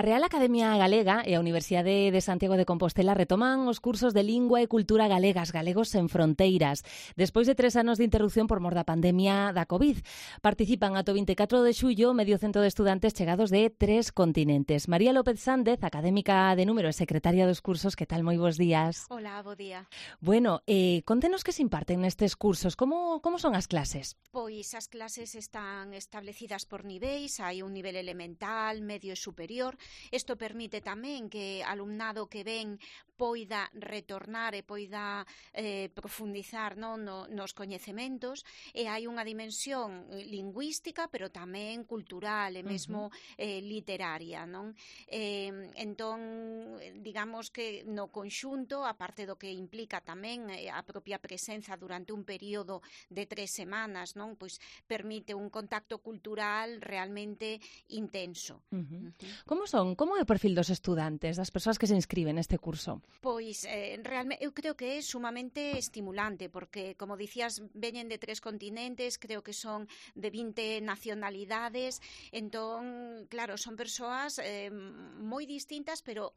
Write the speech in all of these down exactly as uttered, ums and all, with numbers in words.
A Real Academia Galega e a Universidade de Santiago de Compostela retoman os cursos de Lingua e Cultura Galegas, Galegos sen Fronteiras, despois de tres anos de interrupción por mor da pandemia da COVID. Participan ata o vinte e catro de xullo medio cento de estudantes chegados de tres continentes. María López Sández, académica de número e secretaria dos cursos, que tal? Moi bons días. Hola, bo día. Bueno, eh, contenos que se imparten nestes cursos, como, como son as clases? Pois as clases están establecidas por niveis, hai un nivel elemental, medio e superior. Isto permite tamén que alumnado que ven poida retornar e poida eh, profundizar non, no, nos coñecementos, e hai unha dimensión lingüística, pero tamén cultural e mesmo uh-huh. eh, literaria, non? Eh, entón, digamos que no conxunto, a parte do que implica tamén eh, a propia presenza durante un período de tres semanas, non? Pois permite un contacto cultural realmente intenso. Uh-huh. Uh-huh. Como son? Como é o perfil dos estudantes, das persoas que se inscriben neste curso? Pois, eh, realmente, eu creo que é sumamente estimulante, porque, como dicías, veñen de tres continentes, creo que son de vinte nacionalidades, entón, claro, son persoas eh, moi distintas, pero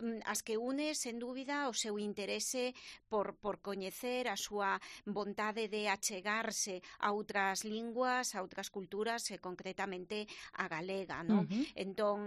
um, as que une, sen dúbida, o seu interese por, por coñecer, a súa vontade de achegarse a outras linguas, a outras culturas, e concretamente a galega, non? Uh-huh. Entón,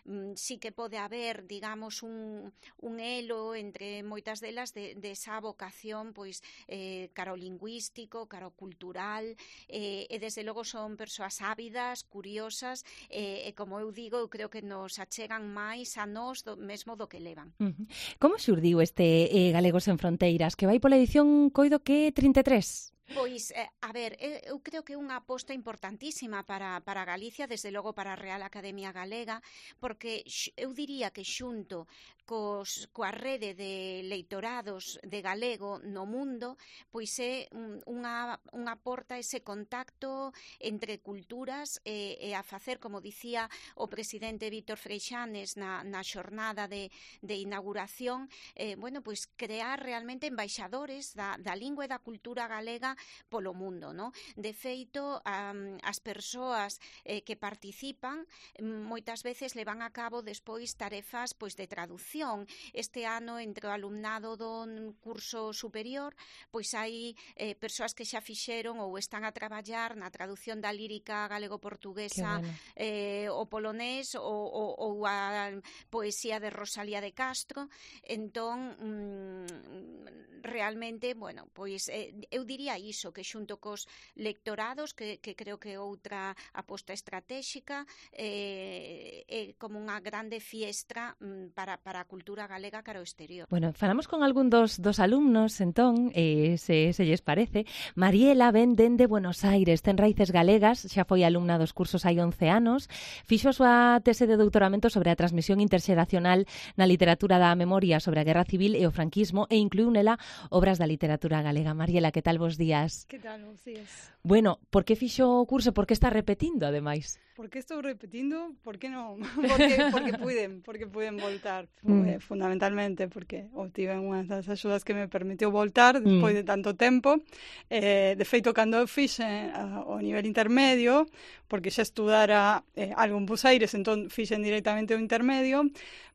um, sí que pode haber, digamos, un, un elo entre moitas delas de, de esa vocación pois eh, caro lingüístico, caro cultural, eh, e desde logo son persoas ávidas, curiosas, eh, e como eu digo, eu creo que nos achegan máis a nós do, mesmo do que levan. Uh-huh. Como xurdiu este eh, Galegos sen Fronteiras, que vai pola edición coido que trinta e tres? Pois, eh, a ver, eu creo que é unha aposta importantísima para, para Galicia, desde logo para a Real Academia Galega, porque eu diría que xunto cos, coa rede de leitorados de galego no mundo, pois é unha, unha porta ese contacto entre culturas e, e a facer, como dicía o presidente Víctor Freixanes na, na xornada de, de inauguración, eh, bueno, pois crear realmente embaixadores da, da lingua e da cultura galega polo mundo, no? De feito, um, as persoas eh, que participan moitas veces levan a cabo despois tarefas pois de traducción. Este ano, entre o alumnado do curso superior, pois hai eh, persoas que xa fixeron ou están a traballar na traducción da lírica galego-portuguesa, bueno. eh, o polonés ou, ou, ou a poesía de Rosalía de Castro. Entón, mm, realmente, bueno, pois eh, eu diría iso, que xunto cos lectorados, que, que creo que é outra aposta estratégica, eh, é como unha grande fiestra mm, para, para a cultura galega cara ao exterior. Bueno, falamos con algún dos, dos alumnos, entón, eh, se, se lles parece. Mariela ven dende Buenos Aires, ten raíces galegas, xa foi alumna dos cursos hai once anos, fixo a súa tese de doutoramento sobre a transmisión interxeracional na literatura da memoria sobre a Guerra Civil e o franquismo, e incluiu nela obras da literatura galega. Mariela, que tal vos días? Que tal, bons días. Bueno, por que fixo o curso? Por que está repetindo, ademais? Por que estou repetindo? Por que non? Porque, porque puiden, porque puiden voltar, mm. fundamentalmente, porque obtiven unha das axudas que me permitiu voltar despois mm. de tanto tempo. Eh, de feito, cando eu fixen uh, o nivel intermedio, porque xa estudara eh, algo en Buenos Aires, entón fixen directamente o intermedio,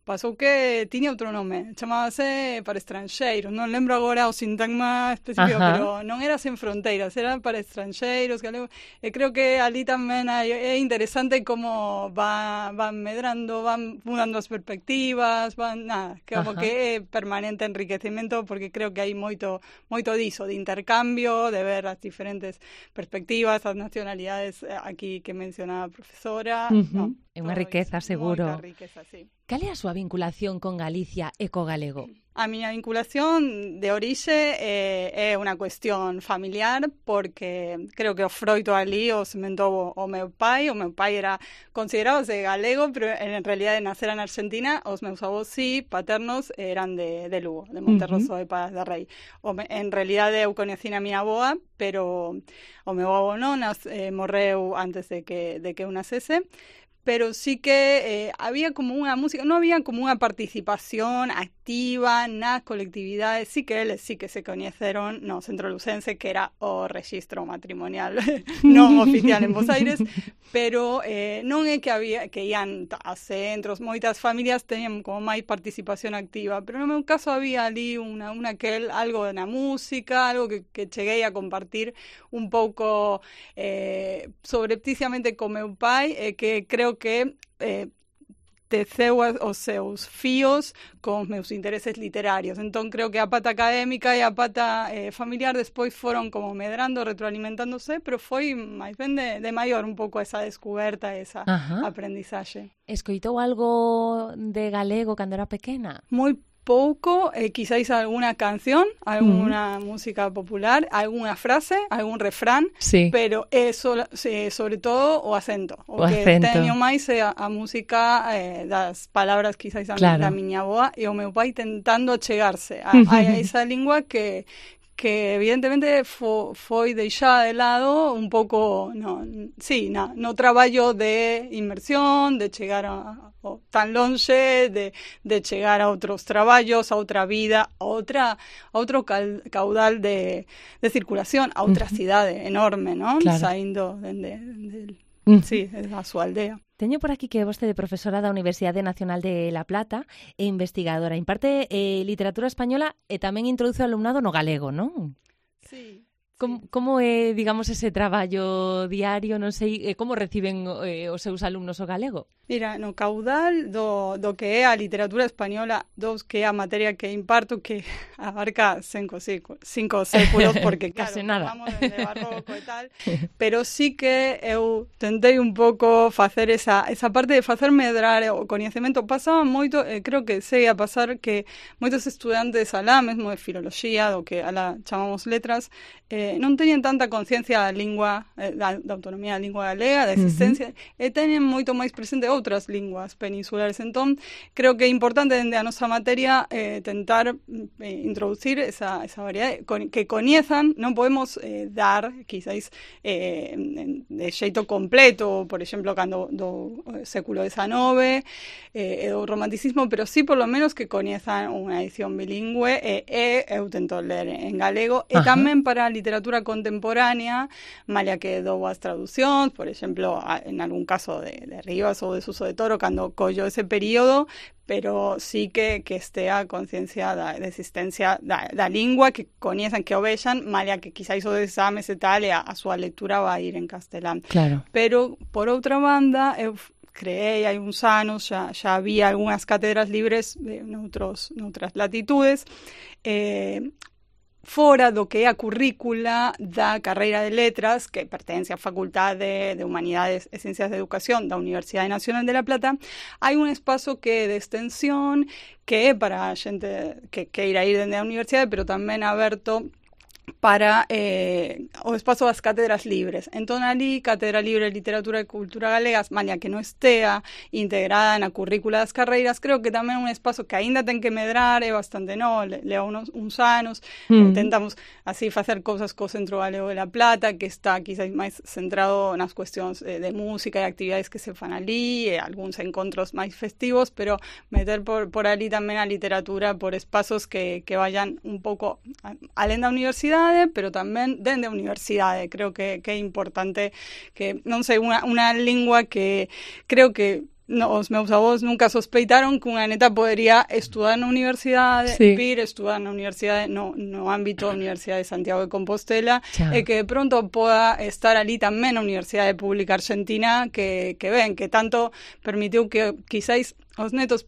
pasou que tiña outro nome, chamábase para estranxeiros, non lembro agora o sintagma específico, Ajá. pero non era sen fronteiras, era para estranxeiros, galego, e creo que ali tamén hai, é interesante como va, van medrando, van mudando as perspectivas, van, nada, como Ajá. que é permanente enriquecemento, porque creo que hai moito, moito diso, de intercambio, de ver as diferentes perspectivas, as nacionalidades aquí que mencionaba a profesora, uh-huh. no, é unha riqueza, seguro. Moita riqueza, sí. Cal é a súa vinculación con Galicia e co galego? A miña vinculación de orixe é, é unha cuestión familiar, porque creo que o froito ali o sementou o meu pai. O meu pai era considerado de galego, pero en realidade nacera na Argentina. Os meus avós sí, paternos, eran de, de Lugo, de Monterroso uh-huh. de Paz de Rei. O, en realidade eu coñecín a miña avoa, pero o meu avó non, nas, eh, morreu antes de que, de que eu nacese. pero sí que eh, había como unha música, non había como unha participación activa nas colectividades, sí que eles sí que se coñeceron no Centro Lucense, que era o rexistro matrimonial non oficial en Bos Aires, pero eh, non é que había que ian a centros, moitas familias tenían como máis participación activa, pero no meu caso había ali unha, unha que algo na música, algo que, que cheguei a compartir un pouco eh, sobrepticiamente co meu pai, e eh, que creo que eh, teceu os seus fíos con os meus intereses literarios. Entón, creo que a pata académica e a pata eh, familiar despois foron como medrando, retroalimentándose, pero foi máis ben de, de maior un pouco esa descuberta, esa Ajá. aprendizaxe. Escoitou algo de galego cando era pequena? Moi pouco, eh, quizáis alguna canción, alguna mm. música popular, alguna frase, algún refrán, sí. pero é so, eh, sobre todo o acento. O, o que acento. Teño máis é a, a música eh, das palabras quizáis claro. da miña avoa e o meu pai tentando chegarse a, a esa lingua que que evidentemente fo, foi deixada de lado un pouco no, sí, no, no traballo de inmersión, de chegar a, a tan lonxe, de, de chegar a outros traballos, a outra vida, a outra a outro cal, caudal de, de circulación, a outra uh-huh. cidade enorme, non? Claro. Saindo dende de, de, uh-huh. sí, a súa aldea. Teño por aquí que é vostede profesora da Universidade Nacional de La Plata e investigadora. Imparte eh, literatura española e tamén introduce o alumnado no galego, non? Sí. Como, como é, digamos, ese traballo diario, non sei, como reciben eh, os seus alumnos o galego? Mira, no caudal do, do que é a literatura española, dos que é a materia que imparto, que abarca cinco, cinco, cinco séculos, porque claro, case nada. Vamos desde barroco e tal, pero sí que eu tentei un pouco facer esa, esa parte de facer medrar o coñecemento. Pasaba moito, eh, creo que segue a pasar que moitos estudantes alá, mesmo de filoloxía, do que alá chamamos letras, eh, non teñen tanta conciencia da lingua, eh, da, da autonomía da lingua galega, da existencia, uh-huh. e teñen moito máis presente outras linguas peninsulares. Entón, creo que é importante dende a nosa materia eh, tentar eh, introducir esa, esa variedade, con, que coñezan, non podemos eh, dar, quizáis, eh, de xeito completo, por exemplo, cando do século dezenove, eh, do romanticismo, pero sí, por lo menos, que coñezan unha edición bilingüe, e, e eu tento ler en galego, e Ajá. tamén para a literatura contemporánea, malia que dou as traducións, por exemplo, en algún caso de, de Rivas ou de Suso de Toro, cando collo ese período, pero sí que, que estea a conciencia da, da existencia da, da lingua, que coñezan, que o vexan, malia que quizáis o de exames e tal, e a, a súa lectura vai ir en castelán. Claro. Pero, por outra banda, eu creei hai uns anos, xa, xa había algunhas cátedras libres de noutros, noutras latitudes, eh, fora do que é a currícula da carreira de letras, que pertence á Facultade de Humanidades e Ciencias de Educación da Universidade Nacional de La Plata, hai un espazo que é de extensión, que é para a xente que queira ir dende a universidade, pero tamén aberto para eh, o espazo das cátedras libres. Entón, ali, Cátedra Libre de Literatura e Cultura Galegas, malia que non estea integrada na currícula das carreiras, creo que tamén é un espazo que aínda ten que medrar, é bastante no, lea unos, uns anos, mm. intentamos así facer cousas co Centro Galego de La Plata, que está quizás máis centrado nas cuestións eh, de música e actividades que se fan ali, e algúns encontros máis festivos, pero meter por, por ali tamén a literatura por espazos que, que vayan un pouco alén da universidade, pero tamén dende a universidade. Creo que, que é importante que, non sei, unha, unha lingua que creo que no, os meus avós nunca sospeitaron que unha neta podería estudar na universidade, sí. vir estudar na universidade no, no ámbito da Universidade de Santiago de Compostela, Chao. e que de pronto poda estar ali tamén na Universidade Pública Argentina, que, que ven, que tanto permitiu que quizáis os netos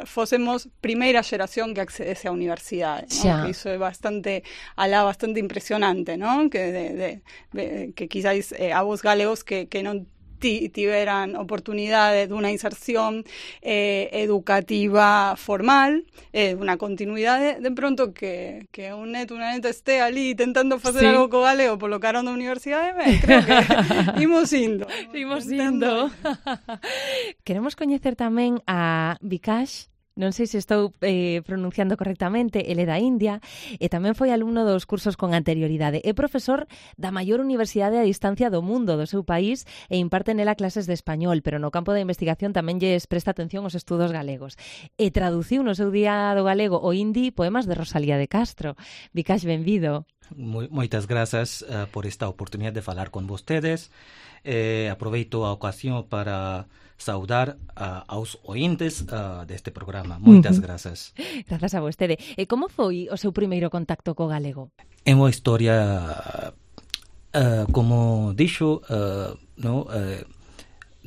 fosemos primeira xeración que accedese á universidade, ¿no? Que iso é bastante alá, bastante impresionante, ¿no? Que de, de, de que quizáis eh, avós galegos que, que non tiveran oportunidade dunha inserción eh, educativa formal, eh, unha continuidade, de pronto que, que un neto, unha neta este ali tentando facer sí. algo co galego polo carón da universidade, ben, creo que imos indo. Imos indo. Queremos coñecer tamén a Vikash non sei se estou eh, pronunciando correctamente, ele é da India e tamén foi alumno dos cursos con anterioridade. É profesor da maior universidade a distancia do mundo, do seu país, e imparte nela clases de español, pero no campo da investigación tamén lles presta atención aos estudos galegos. E traduciu no seu día do galego o hindi poemas de Rosalía de Castro. Vikash, benvido. Moitas grazas uh, por esta oportunidade de falar con vostedes. Eh, aproveito a ocasión para saudar uh, aos ointes uh, deste programa. Moitas uh-huh. grazas. Grazas a vostede. E como foi o seu primeiro contacto co galego? É unha historia, uh, como dixo, uh, no, uh,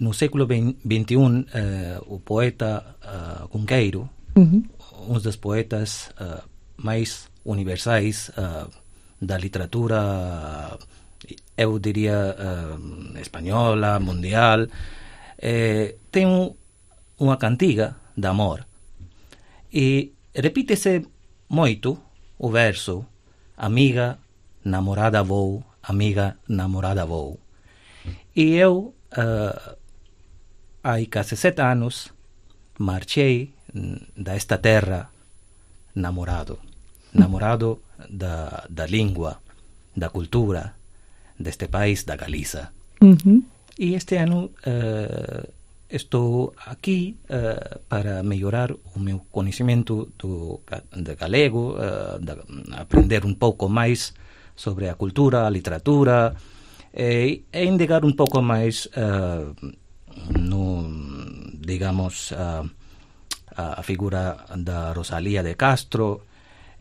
no século vinte e un, uh, o poeta uh, Cunqueiro, uh-huh. un dos poetas uh, máis universais uh, da literatura, eu diría, uh, española, mundial, eh, ten unha cantiga de amor e repítese moito o verso amiga, namorada vou, amiga, namorada vou. E eu, uh, hai case sete anos, marchei da esta terra namorado. Namorado da, da língua, da cultura deste país, da Galiza. Uh-huh. E este ano uh, estou aquí uh, para melhorar o meu conhecimento do, de galego, uh, de aprender un pouco máis sobre a cultura, a literatura, e, e indagar un pouco máis uh, no, digamos, uh, a figura da Rosalía de Castro.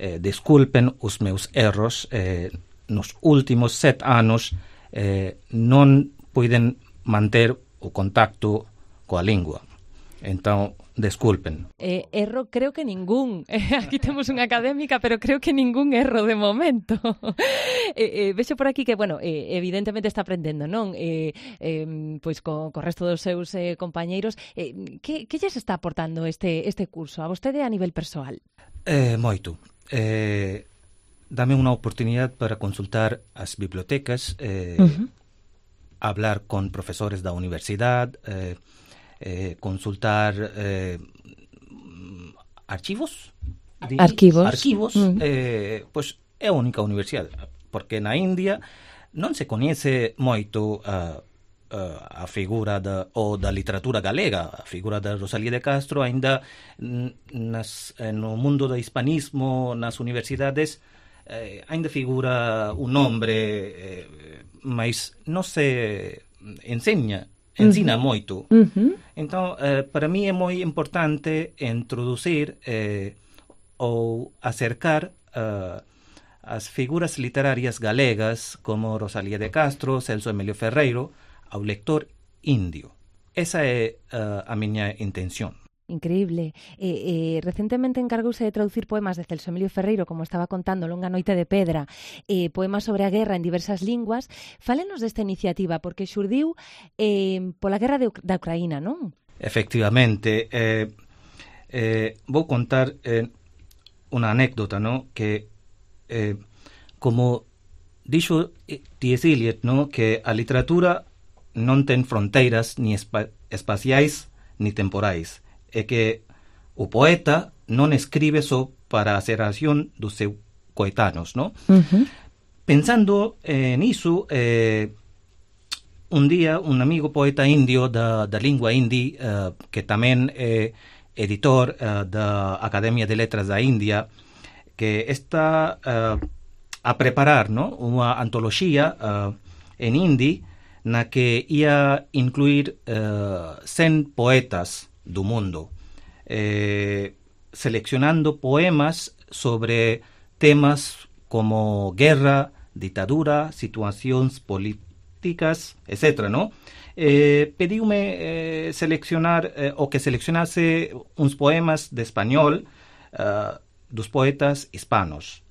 Eh, desculpen os meus erros, eh, nos últimos sete anos eh, non puiden manter o contacto coa lingua. Entón, desculpen. Eh, erro creo que ningún. Aquí temos unha académica, pero creo que ningún erro de momento. eh, eh, vexo por aquí que, bueno, eh, evidentemente está aprendendo, non? Eh, eh, pois co, co resto dos seus eh, compañeiros. Eh, que, que lles está aportando este, este curso a vostede a nivel persoal? Eh, moito. Eh, dame unha oportunidade para consultar as bibliotecas, eh, uh-huh. hablar con profesores da universidade, eh, eh, consultar eh, archivos. Arquivos. Arquivos, uh-huh. eh, pois é a única universidade, porque na India non se coñece moito a, a, a figura da, ou da literatura galega, a figura da Rosalía de Castro, ainda nas, no mundo do hispanismo, nas universidades, eh, ainda figura un nombre, eh, mas non se enseña, ensina uh-huh. moito. Uh-huh. Entón, eh, para mí é moi importante introducir eh, ou acercar eh, as figuras literarias galegas como Rosalía de Castro, Celso Emilio Ferreiro, ao lector indio. Esa é uh, a miña intención. Increíble. Eh, eh, recentemente encargouse de traducir poemas de Celso Emilio Ferreiro, como estaba contando, Longa noite de pedra, eh, poemas sobre a guerra en diversas linguas. Fálenos desta iniciativa, porque xurdiu eh, pola guerra de, da Ucraína, non? Efectivamente. Eh, eh, vou contar eh, unha anécdota, non? Que, eh, como dixo T S Eliot, non? Que a literatura non ten fronteiras ni espa espaciais ni temporais. É que o poeta non escribe só para a xeración dos seus coetanos, non? Uh-huh. Pensando eh, niso, eh, un día un amigo poeta indio da, da lingua hindi, eh, que tamén é editor eh, da Academia de Letras da India, que está eh, a preparar, non? Unha antoloxía eh, en hindi na que ia incluir uh, cen poetas do mundo, eh, seleccionando poemas sobre temas como guerra, ditadura, situacións políticas, etcétera, ¿no? Eh, pediume eh, seleccionar, eh, o que seleccionase uns poemas de español uh, dos poetas hispanos.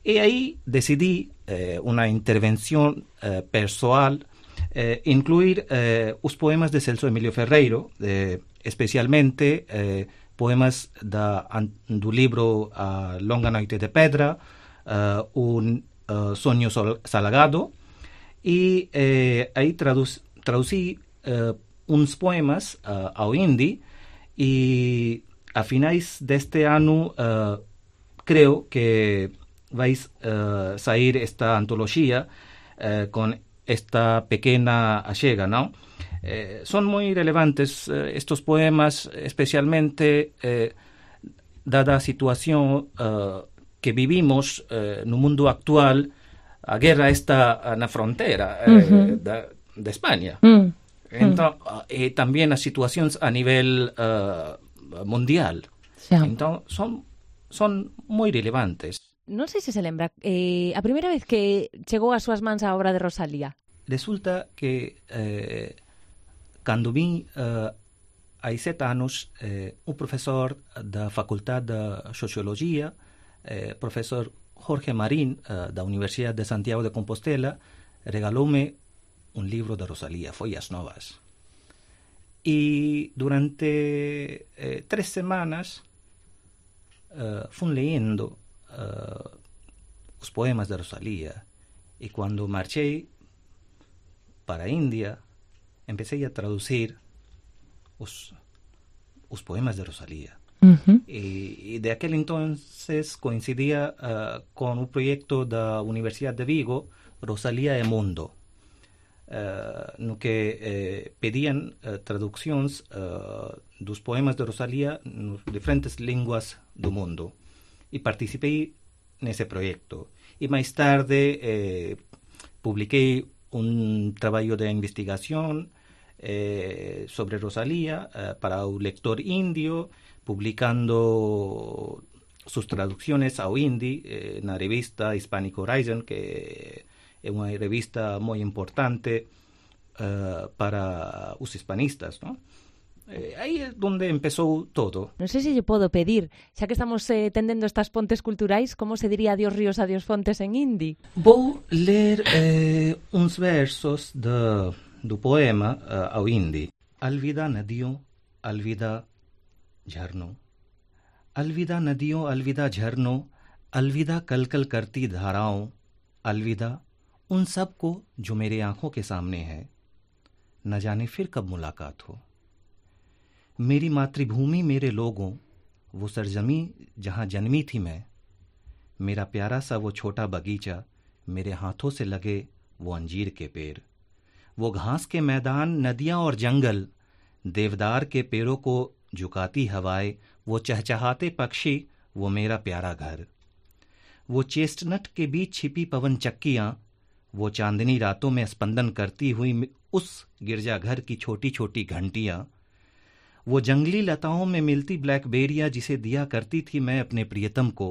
E aí decidí eh, unha intervención eh, persoal, Eh, incluir eh, os poemas de Celso Emilio Ferreiro, eh, especialmente eh, poemas da, an, do libro uh, Longa noite de pedra, uh, un uh, soño sol, salgado, e eh, aí traduc, traducí uh, uns poemas uh, ao hindi, e a finais deste ano, uh, creo que vais uh, sair esta antoloxía uh, con esta pequena achega, ¿no? Eh, son moi relevantes eh, estos poemas, especialmente eh, dada a situación uh, que vivimos uh, no mundo actual. A guerra está na fronteira eh, uh-huh. da, de España. Uh-huh. Entón, uh, e tamén as situacións a nivel uh, mundial. Sí. Entón, son, son moi relevantes. Non sei se se lembra, eh, a primeira vez que chegou ás súas mans a obra de Rosalía. Resulta que eh, cando vin uh, hai sete anos eh, un profesor da Facultade de Sociologia, eh, profesor Jorge Marín, uh, da Universidade de Santiago de Compostela, regaloume un libro de Rosalía, Follas Novas. E durante eh, tres semanas uh, fun leyendo uh, os poemas de Rosalía, e cando marchei para a India, empecé a traducir os, os poemas de Rosalía. Uh-huh. Y, y de aquel entonces coincidía uh, con un proyecto da Universidad de Vigo, Rosalía e Mundo, uh, no que eh, pedían uh, traduccións uh, dos poemas de Rosalía nas diferentes linguas do mundo. E participei nese proyecto. E máis tarde eh, publiquei un traballo de investigación eh, sobre Rosalía eh, para o lector indio, publicando sus traducciones ao hindi eh, na revista Hispanic Horizon, que é unha revista moi importante uh, para os hispanistas, ¿no? Eh, aí é onde empezou todo. Non sei se lle podo pedir, xa que estamos eh, tendendo estas pontes culturais, como se diría adiós ríos, adiós fontes en hindi? Vou ler eh, uns versos de, do poema uh, ao hindi. Alvida nadiyo, alvida झरनों, अलविदा नदियों, अलविदा झरनों, अलविदा कलकल करती धाराओं, अलविदा उन सब को जो मेरे आंखों के सामने है, न जाने फिर कब मुलाकात हो। मेरी मातृभूमि, मेरे लोगों, वो सरजमी जहां जन्मी थी मैं, मेरा प्यारा सा वो छोटा बगीचा, मेरे हाथों से लगे वो अंजीर के पेड़, वो घास के मैदान, नदियां और जंगल, देवदार के पेड़ों को झुकाती हवाएं, वो चहचहाते पक्षी, वो मेरा प्यारा घर, वो चेस्टनट के बीच छिपी पवन चक्कियां, वो चांदनी रातों में स्पंदन करती हुई उस गिरजाघर की छोटी छोटी घंटियां, वो जंगली लताओं में मिलती ब्लैकबेरिया जिसे दिया करती थी मैं अपने प्रियतम को,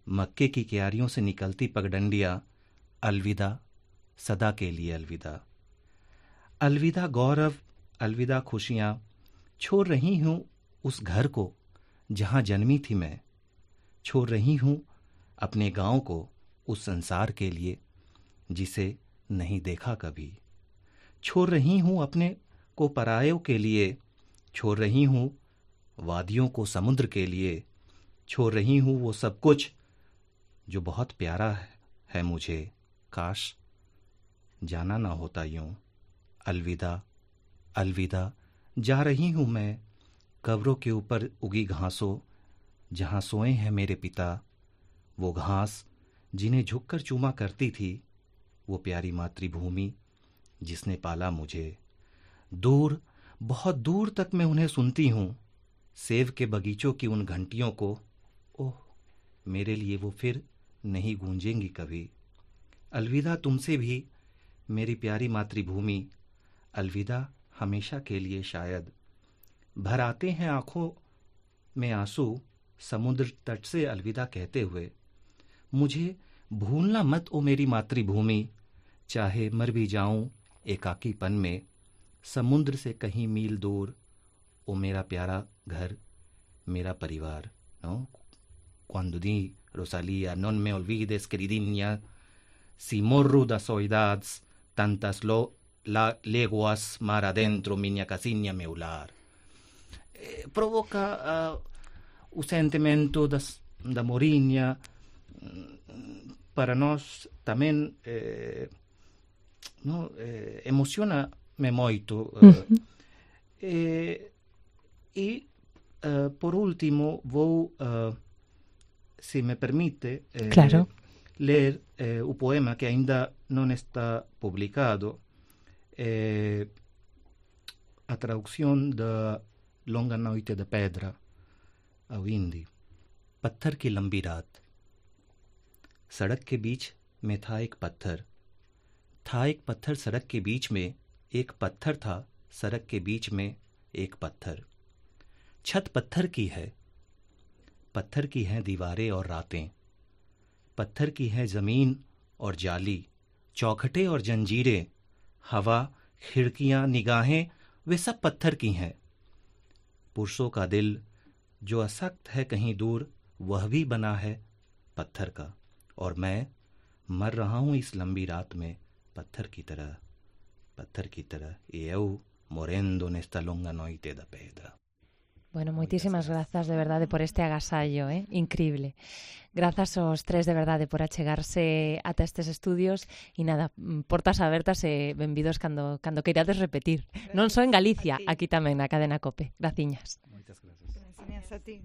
मक्के की क्यारियों से निकलती पगडंडियां, अलविदा सदा के लिए अलविदा, अलविदा गौरव, अलविदा खुशियां, छोड़ रही हूँ उस घर को जहाँ जन्मी थी मैं, छोड़ रही हूँ अपने गांव को उस संसार के लिए जिसे नहीं देखा कभी, छोड़ रही हूँ अपने को परायों के लिए, छोड़ रही हूँ वादियों को समुद्र के लिए, छोड़ रही हूँ वो सब कुछ जो बहुत प्यारा है मुझे, काश जाना ना होता यूं, अलविदा अलविदा जा रही हूँ मैं कब्रों के ऊपर उगी घासों, जहाँ सोए हैं मेरे पिता, वो घास जिन्हें झुककर चूमा करती थी, वो प्यारी मातृभूमि जिसने पाला मुझे, दूर बहुत दूर तक मैं उन्हें सुनती हूँ, सेब के बगीचों की उन घंटियों को, ओह मेरे लिए वो फिर नहीं गूंजेंगी कभी, अलविदा तुमसे भी मेरी प्यारी मातृभूमि, अलविदा हमेशा के लिए शायद, भर आते हैं आंखों में आंसू समुद्र तट से अलविदा कहते हुए, मुझे भूलना मत ओ मेरी मातृभूमि, चाहे मर भी जाऊं एकाकीपन में, समुद्र से कहीं मील दूर, ओ मेरा प्यारा घर, मेरा परिवार, ¿no? Cuando di Rosalía, non me olvides, queridinha, si morro das saudades, tantas lo La leguas mar adentro, minha casinha meu lar. Eh, provoca uh, o sentimento das, da morinha. Para nós tamén eh, no, eh, emociona-me moito. Uh, uh-huh. eh, e uh, por último, vou, uh, se me permite, eh, claro. ler eh, o poema que ainda non está publicado, eh, a traducción da Longa Noite de Pedra ao hindi. पत्थर की लंबी रात, सड़क के बीच में था एक पत्थर, था एक पत्थर सड़क के बीच में, एक पत्थर था सड़क के बीच में एक पत्थर। छत पत्थर की है, पत्थर की हैं दीवारें और रातें, पत्थर की है जमीन और जाली, चौखटे और जंजीरें, हवा, खिड़कियां, निगाहें, वे सब पत्थर की हैं। पुरुषों का दिल जो असक्त है कहीं दूर, वह भी बना है पत्थर का, और मैं मर रहा हूं इस लंबी रात में पत्थर की तरह, पत्थर की तरह. E eu morendo nesta longa noite da pedra. Bueno, moitísimas grazas de verdade por este agasallo, eh? Increíble. Grazas aos tres de verdade por achegarse ata estes estudios e nada, portas abertas e benvidos cando, cando queirades repetir. Non só en Galicia, aquí tamén na cadena COPE. Graciñas. Moitas grazas. Gracias a ti.